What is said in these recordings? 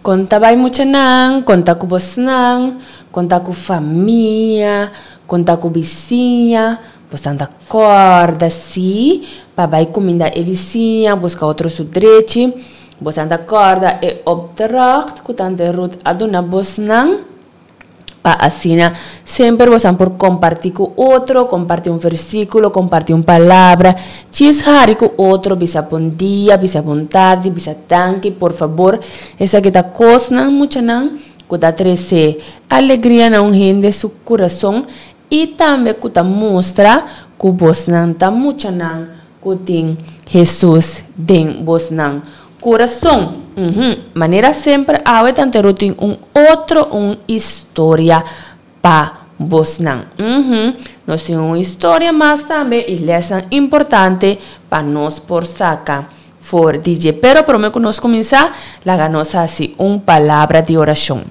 Kon ta bai muchanan, kon ta ku bosnan, kon ta ku famia, kon ta ku bisiña, bosnan ta kòrda si pa bai kuminda e bisiña, buska otro su drechi, bosnan ta kòrda e opdracht ku tante Ruth a duna bosnan. Pa asina semper bosan por kompartí ku otro, kompartí un versíkulo, kompartí un palabra, djis hari ku otro, bisa bon dia, bisa bon tardi, bisa danki, por fabor. Esaki ta kosnan, muchanan, ku ta trese alegria na un hende su kurason i tambe ku ta mustra ku bosnan ta muchanan ku tin Hesus den bosnan Kurason, Uhum. Manera semper awe Tante Ruth tin un otro un historia pa bosnan. Uhum. Nos tin un historia mas tambe y lesnan importante pa nos por saca for di dje. Pero prome cu nos cuminsa, laga nos haci un palabra di oracion.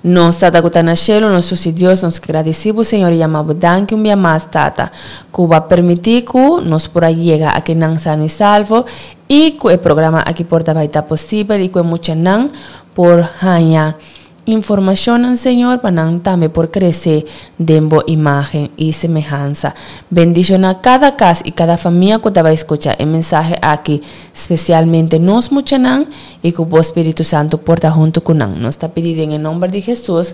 Nos Tata ku ta na shelu, nos Susi Dios, nos gradisí bo Señor i yama bo danki un bia mas, Tata, ku bo a permití ku nos por a yega akinan sano i salvo i ku e programa aki por ta bai ta posibel i ku e muchanan por haña informashonnan, Señor, pa nan tambe por krese den bo imágen i semehansa. Bendishoná kada kas i kada famia ku ta bai skucha e mensahe aki, spesialmente nos muchanan, I ku bo Spiritu Santu por ta huntu ku nan. Nos ta pidi den e nomber di Hesus.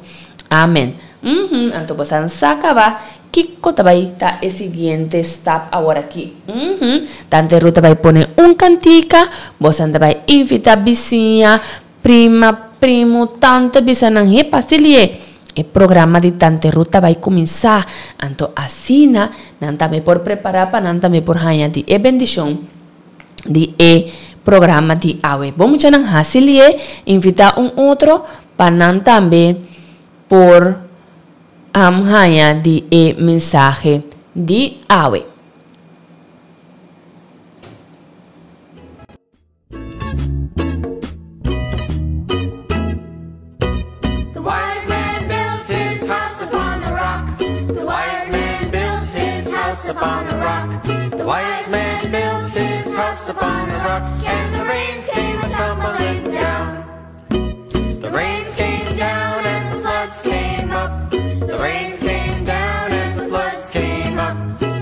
Amen. Uhum, anto bo san sa kaba kiko ta bai ta e siguiente stap aworakí. Uhum, Tante Ruth ta bai pone un kantika, bosan ta bai invitá bisiña, prima, primu, tante bisa nan, He Pasilie, e programa di Tante Ruth ta bai kuminsá. Anto asina nan tambe por prepará pa nan tambe por haña di e bendishon di e programa di awe. Bo muchanan hasi lié, invitá un otro pa nan tambe por haña di e mensahe di awe. The wise man built his house upon the rock. The wise man built his house upon the rock. The wise man built his house upon the rock, and the rains came a tumbling down. The rains came down and the floods came up. The rains came down and the floods came up.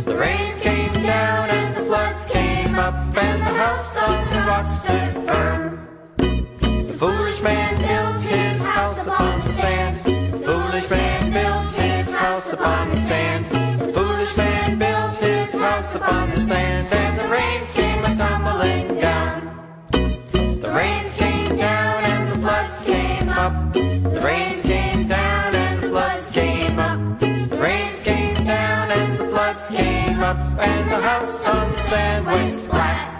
The rains came down and the floods came up, and the house on the rock stood firm. The foolish man built his house upon the sand. The foolish man built his house upon the sand. The foolish man built his house upon the sand, and the rains came a tumbling down. The rains came down and the floods came up. The rains came down and the floods came up. The rains came down and the floods came up, and the house on the sand went splat.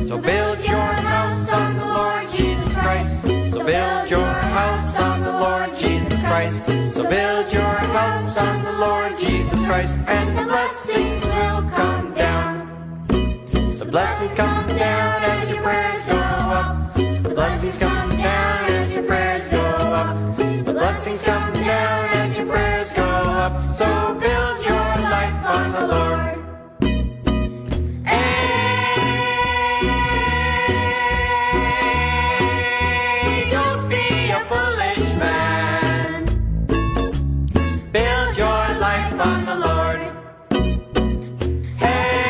So build your house on the Lord Jesus Christ. So build your house on the Lord Jesus Christ. So build your house on the Lord Jesus Christ, and the blessings will come down. The blessings come down as your prayers go up. The blessings come down as your prayers go up. The blessings come down as your prayers go up. So build your life on the Lord. Hey, don't be a foolish man. Build your life on the Lord. Hey,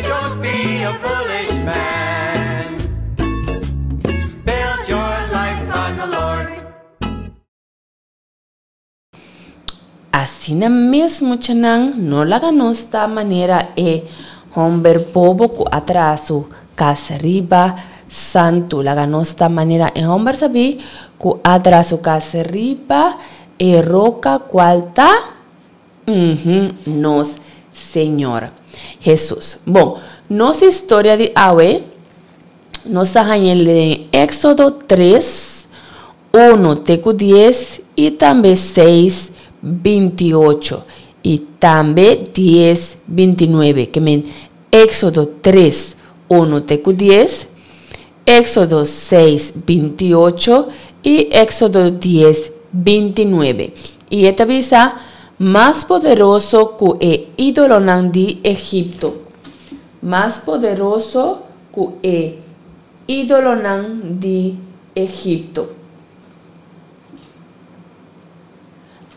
don't be a foolish man. Build your life on the Lord. Asina mes muchanan no laga nos ta manera e homber bobo cu a traha su cas riba santu. Laga nos ta manera e homber sabí cu a traha su cas riba e roca cual ta, uhum, nos Señor Hesus. Bon, nos historia di awe nos ta hañ'el den Éxodo tres, Unu te ku dies i tambe seis bintiocho i tambe dies bintinuebe, ke men Éksodo tres, unu te ku dies, Éksodo seis bintiocho i Éksodo dies bintinuebe. I e ta bisa, Mas poderoso ku e ídolonan di Egipto. mas poderoso ku e ídolonan di Egipto.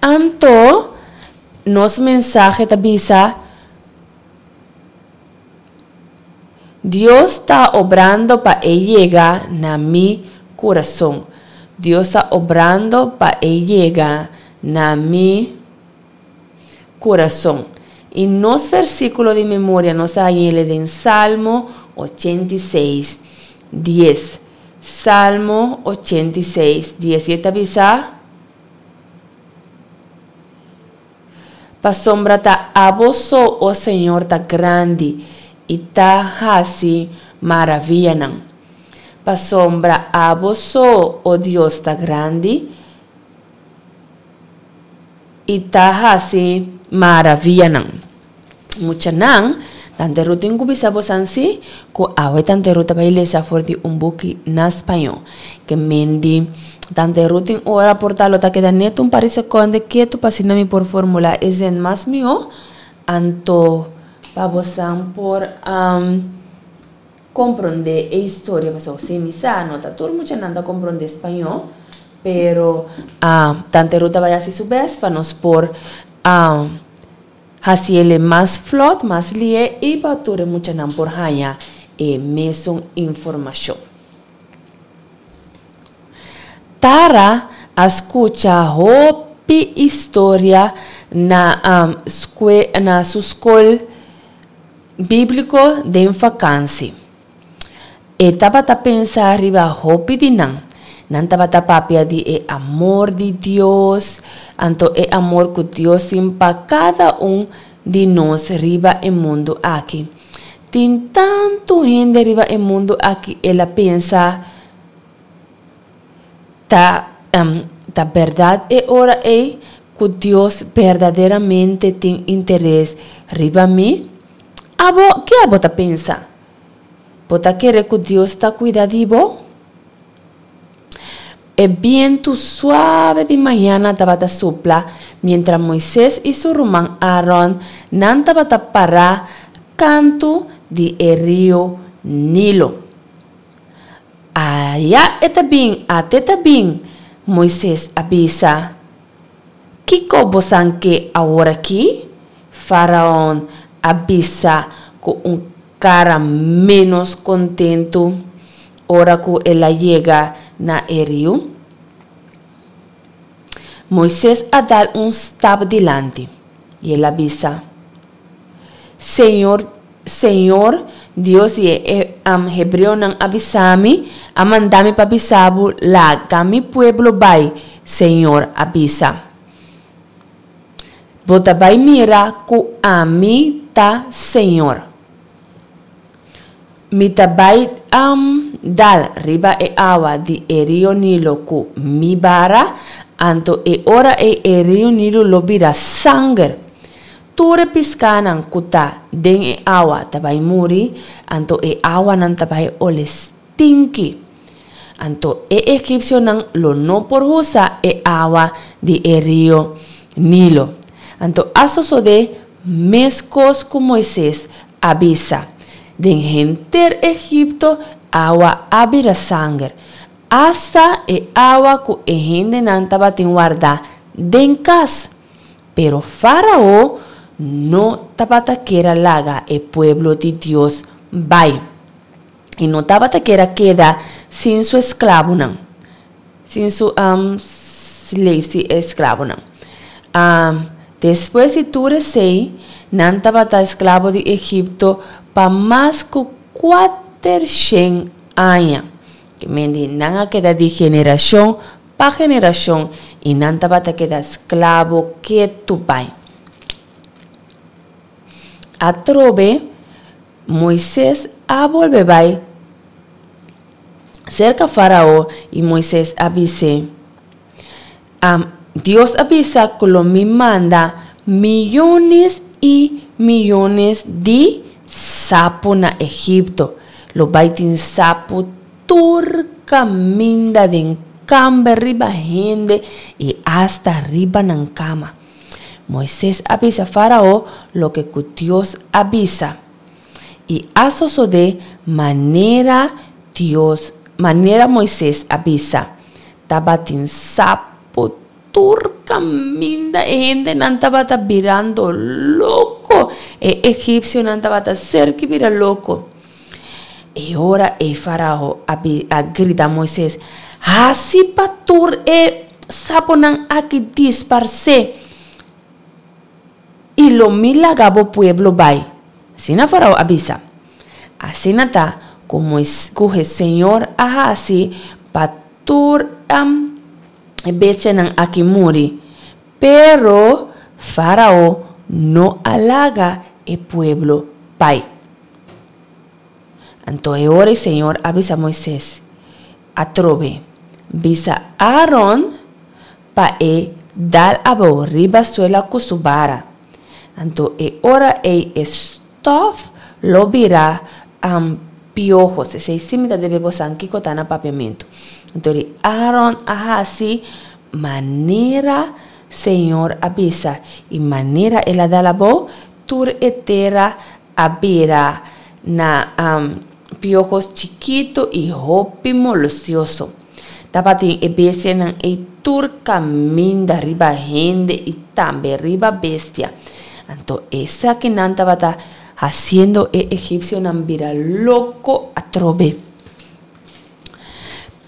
Anto nos mensahe ta bisa, Dios ta obrando pa e yega na mi kurason. Dios ta obrando pa e yega na mi kurason. I nos versíkulo di memoria nos a hañ'el den Salmo 86, 10. Salmo 86, 10. I e ta bisa, Pasobra ta abo so, o Señor, ta grandi i ta hasi maravianan. Pasobra abo so, o Dios, ta grandi i ta hasi maravianan. Muchanan, Tante Ruth tin ku bisa bosan si ku awe Tante Ruth ta bai lesa for di un buki na spañó. Ke mendi Tante Ruth tin ora por ta lo ta keda net un par di sekonde ketu pa asina mi por formulá e zin mas mihó. Anto pa bosan por komprondé e historia pasobra si mi sa no ta tur muchanan ta komprondé spañó pero Tante Ruth ta bai hasi su bèst pa nos por Hasiel e mas flot, mas lié i pa tur e muchanan por haña e mesun informashon. Tara a skucha hopi historia na na su skol bíbliko den fakansi. E tabata pensa riba hopi di nan. Nan tabata papia di e amor di Dios, anto e amor ku Dios tin pa kada un di nos riba e mundu aki. Tin tantu hende riba e mundu aki, el a pensa, Ta ta bèrdat e ora ei ku Dios berdaderamente tin interes riba mi? Abo, ke abo ta pensa? Bo ta kere ku Dios ta kuida di bo? E bientu suave di mañana tabata supla mientra Moises i su ruman Aaron nan tabata pará kantu di e riu Nilo. Aya e ta bin, ate ta bin, Moises a bisa. Kiko bosan ke aworakí? Faraon a bisa ku un kara ménos kontentu ora ku el a yega na e riu. Moises a dal un stap dilanti, i el a bisa, Señor, Señor, Dios di e hebreonan a bisa mi, a manda mi pa bisa bo, Laga mi pueblo bai, Señor a bisa. Bo ta bai mira ku ami ta Señor. Mi ta bai dal riba e awa di e rio Nilo ku mi bara, anto e ora ei e rio Nilo lo bira sanger. Tur e piskanan ku ta den e awa ta bai muri, anto e awanan ta bai ole stinki. Anto e egipsionan lo no por usa e awa di e rio Nilo. Anto a sosodé meskos ku Moises a bisa. Den henter Egipto awa a bira sanger, asta e awa ku e hendenan tabatin wardá den kas. Pero Fárao no tabata kier a laga e pueblo di Dios bai. E no tabata kier a keda sin su esklabonan, sin su slaves, si esklabonan. Despues di tur esei, nan tabata esklabo di Egipto pa mas ku kuatershen aña. Ke men di nan a keda di generashon pa generashon i nan tabata keda esklabo ketu bai. Atrobe Moises a bolbe bai serka Fárao i Moises a bis'é, Dios a bisa ku lo mi manda miyones i miyones di sapu na Egipto. Lo bai tin sapu tur kaminda den kamber riba hende i asta riba nan kama. Moises a bisa Fárao loke ku Dios a bisa. I a sosodé manera Dios, manera Moises a bisa. Tabatin sapu tur kaminda, e hendenan tabata birando loko, e egipsionan tabata serki bira loko. E ora ei Farao a a grita Moises, Hasi pa tur e sapunan aki disparsé, i lo mi laga bo pueblo bai. Asina Farao a bisa. Asina ta ku Mois ku Señor a hasi pa tur e bestianan aki muri. Pero Farao no a laga e pueblo bai. Anto e ora e Señor a bisa Moises atrobe, Bisa Aaron pa e dal abou riba suela ku su bara. Anto e ora ei e stof lo bira piojos. Esei sí mi ta debe bosan kiko ta na papiamentu. Anto di Aaron a hasi manera Señor a bisa, i manera el a dal abou, tur e tera a bira na piojos chikitu i hopi molosioso. Tabatin e bestianan ei tur kaminda riba hende i tambe riba bestia. Anto esakinan tabata hasiendo e egipsionan bira loko atrobe.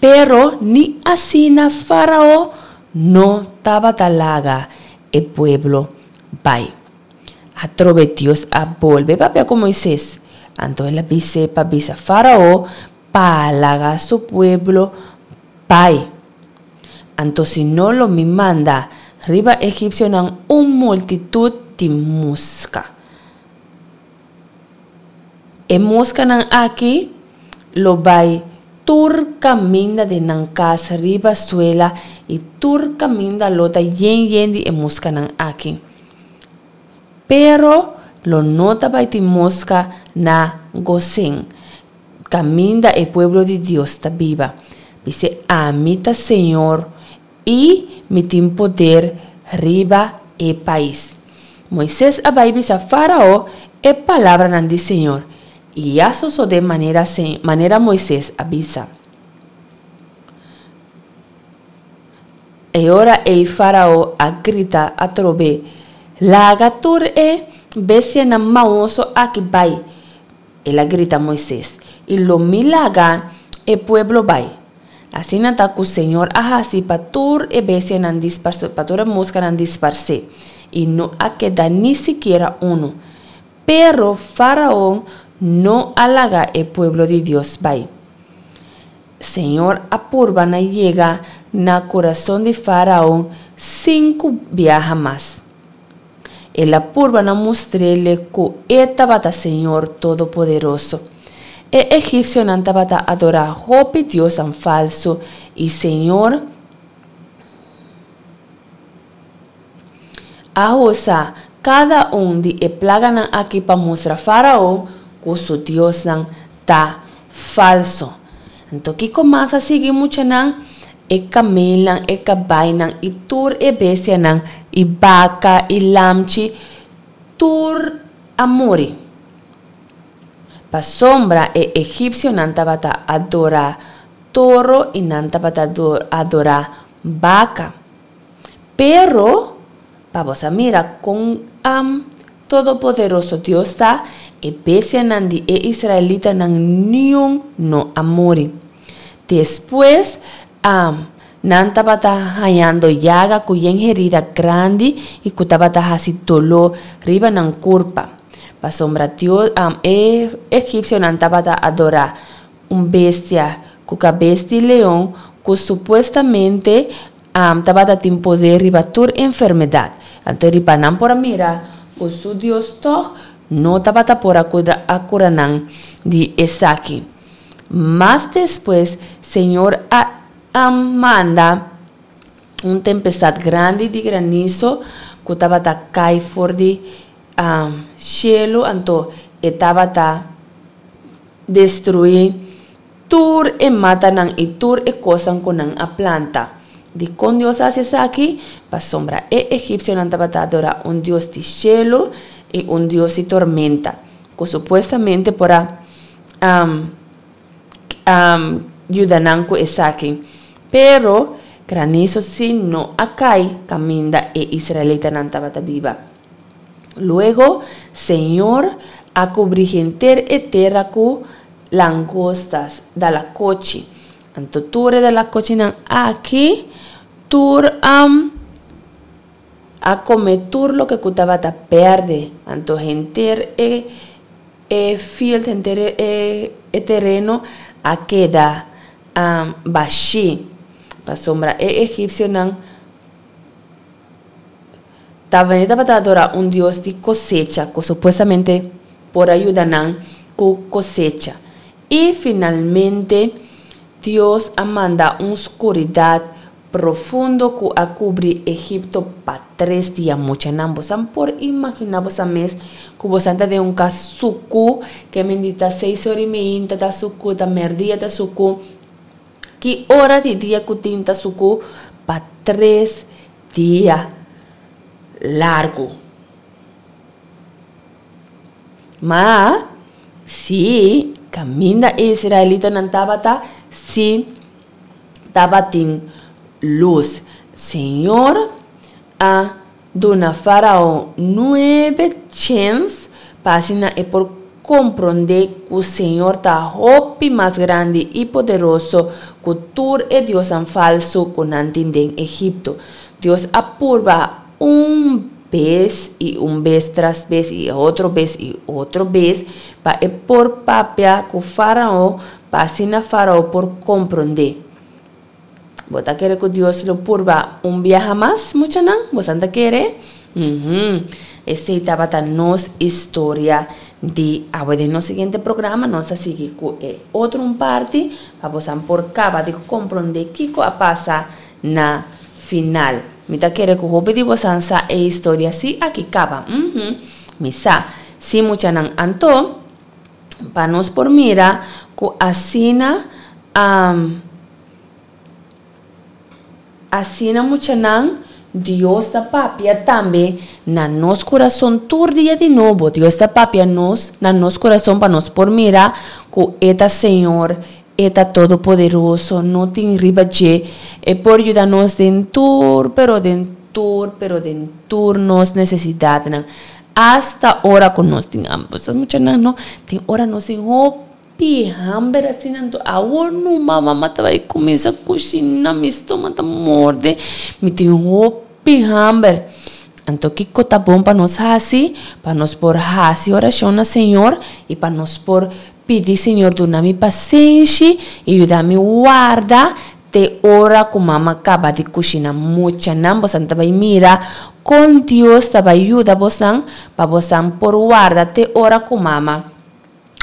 Pero ni asina Fárao no tabata laga e pueblo bai. Atrobe Dios a bolbe papia ku Moises. Anto el a bis'é pa bisa Fárao pa laga su pueblo bai. Anto si no lo mi manda riba egipsionan un multitut di muska. E muskanan aki lo bai tur kaminda den nan kas riba suela i tur kaminda lo ta yen yen di e muskanan aki. Pero lo no ta bai tin moska na Gosen, kaminda e pueblo di Dios ta biba. Bis'é, Ami ta señor i mi tin poder riba e pais. Moises a bai bisa Fárao e palabranan di señor, i a sosodé manera manera Moises a bisa. E ora ei Fárao a grita atrobe, Laga tur e bestianan maoso aki bai! El a grita Moises, I lo mi laga e pueblo bai. Asina ta ku señor a hasi pa tur e bestianan disparsé, pa tur e muskanan disparsé, i no a keda ni sikiera unu. Pero Fáraon no a laga e pueblo di Dios bai. Señor a purba na yega na kurason di Fáraon sinku biaha mas. El a purba na mustr'ele ku e tabata Señor Todopoderoso. E egipsionan tabata adorá hopi diosnan falsu i Señor a usa kada un di e plaganan aki pa mustra Fáraon ku su diosnan ta falso. Anto kiko mas a sigui muchanan? E kamelnan, e kabainan i tur e bestianan, i baka i lamchi, tur a muri. Pasobra e egipsionan tabata adorá toro i nan tabata adorá baka. Pero, pa bo sa mira kon Todopoderoso Dios ta, e bestianan di e israelitanan niun no a muri. Despues, nan tabata hañando yaga ku yen herida grandi i ku tabata hasi doló riba nan kurpa. Pasobra Dios, e egipsionan tabata adorá un bestia ku kabes di leon ku supuestamente tabata tin poder riba tur enfermedat. Anto riba nan por a mira ku su Dios tòg no tabata por a kura nan di esaki. Mas despues Señor a manda un tempestat grandi di graniso ku tabata kai for di shelu, anto e tabata destruí tur e matanan i tur e kosnan ku nan a planta. Dikon Dios a hasi esaki? Pasobra e egipsionan tabata adorá un dios di shelu i un dios di tormenta. ku supuestamente por a yuda nan ku esaki. Pero, graniso sí no a kai kaminda e israelitanan tabata biba. Luego, Señor a kubri henter e tera ku langostas, dalakochi. Anto tur e dalakochinan aki, tur a kome tur loke ku tabata berde. Anto henter e E field henter e tereno a keda bashí, pasobra e egipsionan tabata adorá un dios di kosecha ku supuestamente por a yuda nan ku kosecha. I finalmente Dios a manda un skuridat Profundo ku a kubri Egipto pa tres dia. Muchanan, bosan por imaginá bosan mes ku bosan ta den un kas suku, ke mindi ta seis ora i meinta ta suku, ta mèrdia ta suku, ki ora di dia ku tin ta suku pa tres dia largu. Ma, si kaminda e israelitanan tabata, si. tabatin lus. Señor a duna Farao nuebe chens pa asina e por komprondé ku Señor ta hopi mas grandi i poderoso ku tur e diosnan falsu ku nan tin den Egipto. Dios a purba un bes i un bes tras bes i otro bes i otro bes pa e por papia ku Farao Pa asina Farao por komprondé. Bo ta kere ku Dios lo purba un biaha mas, muchanan? Bosan ta kere? Uhum. Esei tabata nos historia di awe. Den nos siguiente programa nos ta sigui ku e otro un parti pa bosan por kaba di komprondé kiko a pasa na final. Mi ta kere ku hopi di bosan sa e historia si aki kaba. Uhum. Mi sa. Sí, muchanan. Anto. Pa nos por mira ku asina asina muchanan Dios ta papia tambe na nos kurason tur dia di nobo. Dios ta papia nos na nos kurason pa nos por mira ku e ta Señor, e ta Todopoderoso, no tin riba dje. E por yuda nos den tur, pero den tur, pero den tur nos nesesidatnan. Asta ora ku nos tin hamber. Sa muchanan no, tin ora nos tin hopi hamber asina, anto awor numa mama ta bai kuminsá kushiná, mi stoma ta morde, mi tin hopi hamber. Anto kiko ta bon pa nos hasi? Pa nos por hasi orashon na Señor i pa nos por pidi Señor duna mi pasenshi i yuda mi warda Te ora ku mama kaba di kushina muchanan bosan ta bai mira kon Dios ta bai yuda bosan pa bosan por warda te ora ku mama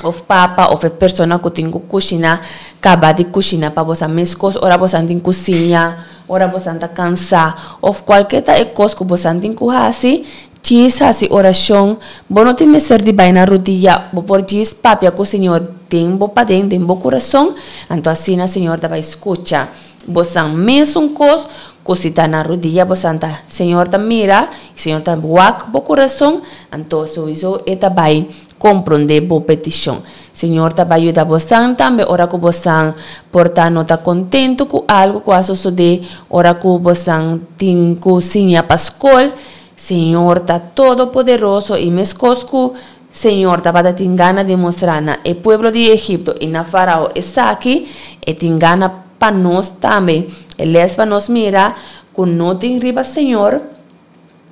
of papa of e persona ku tin ku kushina kaba di kushina pa bosan meskos ora bosan tin ku siña ora bosan ta kansa of kualke ta e kos ku bosan tin ku hasi djis hasi orashon bo no tin mester di bai na rudia bo por djis papia ku Señor den bo paden den bo kurason anto asina Señor ta bai skucha bosan mesun kos ku si ta na rudia bosan ta Señor ta mira i Señor ta wak bo kurason anto souiso e ta bai komprondé bo petishon Señor ta bai yuda bosan tambe ora ku bosan por ta no ta kontentu ku algu ku a sosodé ora ku bosan tin ku siña pa skol Señor ta todopoderoso i meskos ku Señor tabata tin gana di mustra na e pueblo di Egipto i na Farao esaki, e tin gana pa nos tambe. E les pa nos mira ku no tin riba Señor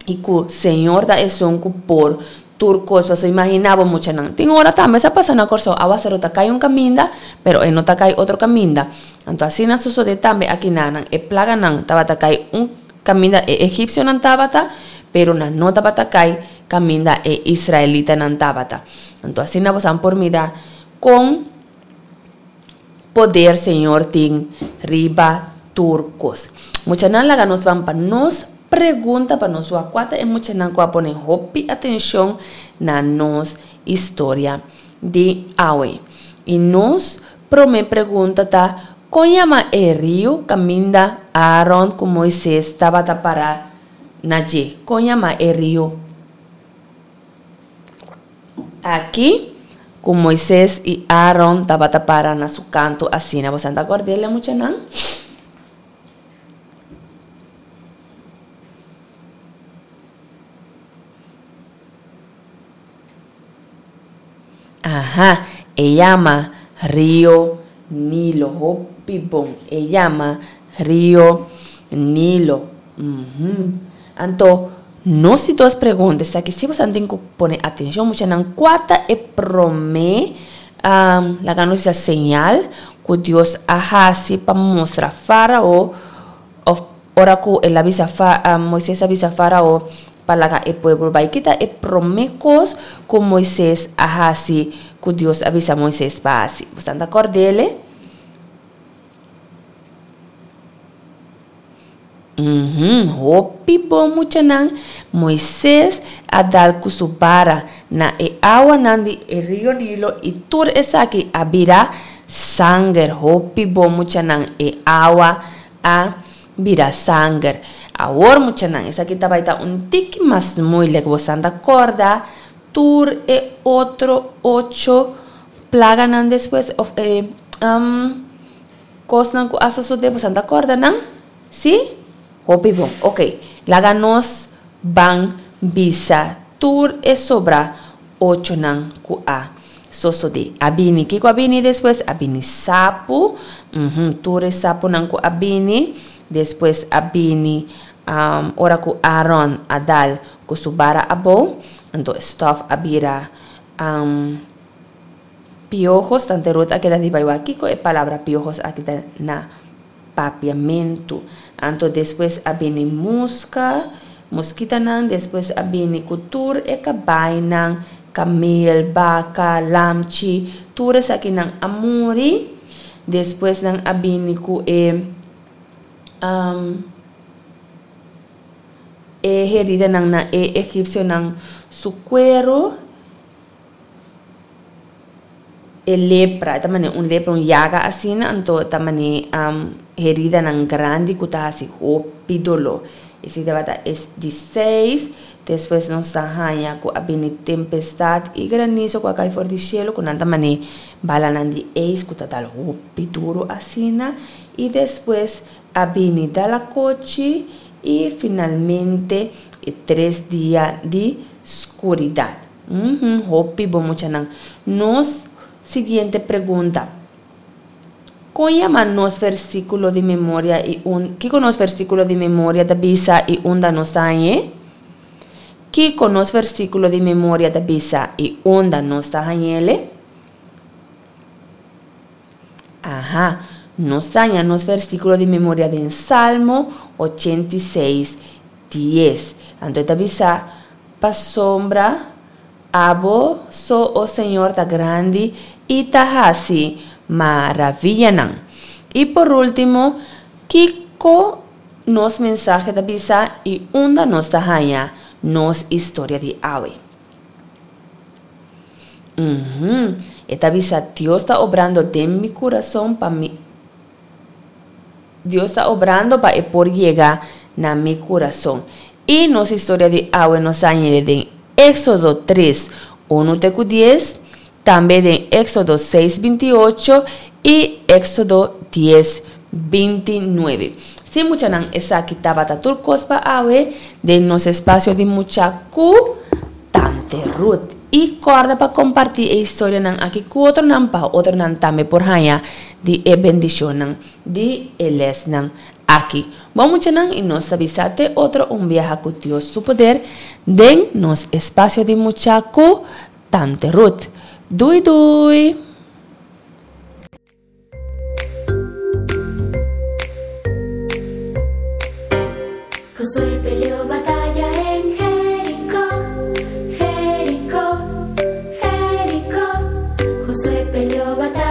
i ku Señor ta esun ku por tur kos. Pasobra imaginá bo muchanan, tin ora tambe sa pasa na Kòrsou, awaseru ta kai un kaminda, pero e no ta kai otro kaminda. Anto asina sosodé tambe akinanan, e plaganan tabata kai un Kaminda e egipsionan tabata, pero nan no tabata kai kaminda e israelitanan tabata. Anto asina bosan por mira kon poder Señor tin riba tur kos. Muchanan laga nos ban pa nos pregunta pa nos wak kua ta e muchanan ku a pone hopi atenshon na nos historia di awe. I nos prome pregunta ta, Kon yama e riu kaminda Aaron ku Moises tabata pará na dje? Kon yama e riu aki? ku Moises i Aaron tabata para na su kantu asina. Boso ta kòrd'é muchanan? Aha, e yama Rio Nilo. Hopi bon. E yama Rio Nilo. Uhum. Anto, nos di dos pregunta esaki si boso tin ku pone atenshon muchanan, kua ta e promé, laga nos bisa señal ku Dios a hasi pa mustra Fárao òf ora ku el a bisa Moises a bisa Fárao pa laga e pueblo bai? Ki ta e promé kos ku Moises a hasi ku Dios a bisa Moises pa hasi? Boso ta kòrd'é? Uhum, hopi bon muchanan, Moises a dal ku su bara na e awanan di e Rio Nilo i tur esaki a bira sanger. Hopi bon muchanan, e awa a bira sanger. Awor muchanan, esaki ta bai ta un tiki mas moeilijk. Bosan ta kòrda tur e otro ocho plaganan despues òf e Kosnan ku a sosodé boso ta kòrda nan? Sí? Hopi bon. Oke, laga nos ban bisa tur e sobra ochonan ku a sosodé. A bini, kiko a bini despues? A bini sapu, uhum, tur e sapunan ku a bini. Despues a bini ora ku Aaron a dal ku su bara abou, anto e stòf a bira. Piojos, Tante Ruth a keda di bai wak kiko e palabra piojos aki ta na papiamentu. Anto despues a bini muska, muskitanan, despues a bini ku tur e kabainan, kamel, baka, lamchi, tur esakinan a muri. Despues nan a bini ku e e heridanan na e egipsionan su kueru. E lepra, e ta manera un lepra, un yaga asina, anto e ta manera heridanan grandi ku ta hasi hopi doló. Esei tabata e di seis. Despues nos ta haña ku a bini tempestat i granizo ku a kai for di shelu, ku nan ta manera balanan di eis ku ta dal hopi duru asina. I despues a bini dalakochi i finalmente e tres dia di skuridat. Uhum, hopi bo muchanan. Nos siguiente pregunta. Kon yama nos versíkulo di memoria i un Kiko nos versíkulo di memoria ta bisa i unda nos ta hañ'é? Kiko nos versíkulo di memoria ta bisa i unda nos ta hañ'ele? Aha, nos ta haña nos versíkulo di memoria den Salmo 86, 10. Anto e ta bisa, Pasobra Abo so, o Señor, ta grandi i ta hasi maraviyanan. I por último, kiko nos mensahe ta bisa i unda nos ta haña nos historia di awe? Uhum, e ta bisa, Dios ta obrando den mi kurason pa mi Dios ta obrando pa e por yega na mi kurason. I nos historia di awe nos a hañ'e den Éksodo tres, unu te ku dies, tambe den Éksodo seis, bintiocho i Éksodo dies, bintinuebe. Sí, muchanan, esaki tabata tur kos pa awe den nos espasio di mucha ku Tante Ruth. I kòrda pa kompartí e historianan aki ku otronan pa otronan tambe por haña di e bendishonnan di e lèsnan aki. Bon muchanan i nos ta bisa te otro un biaha ku Dios su poder den nos espasio di mucha ku Tante Ruth. Dui dui! Josué peleó batalla en Jericó, Jericó, Jericó. Josué peleó batalla.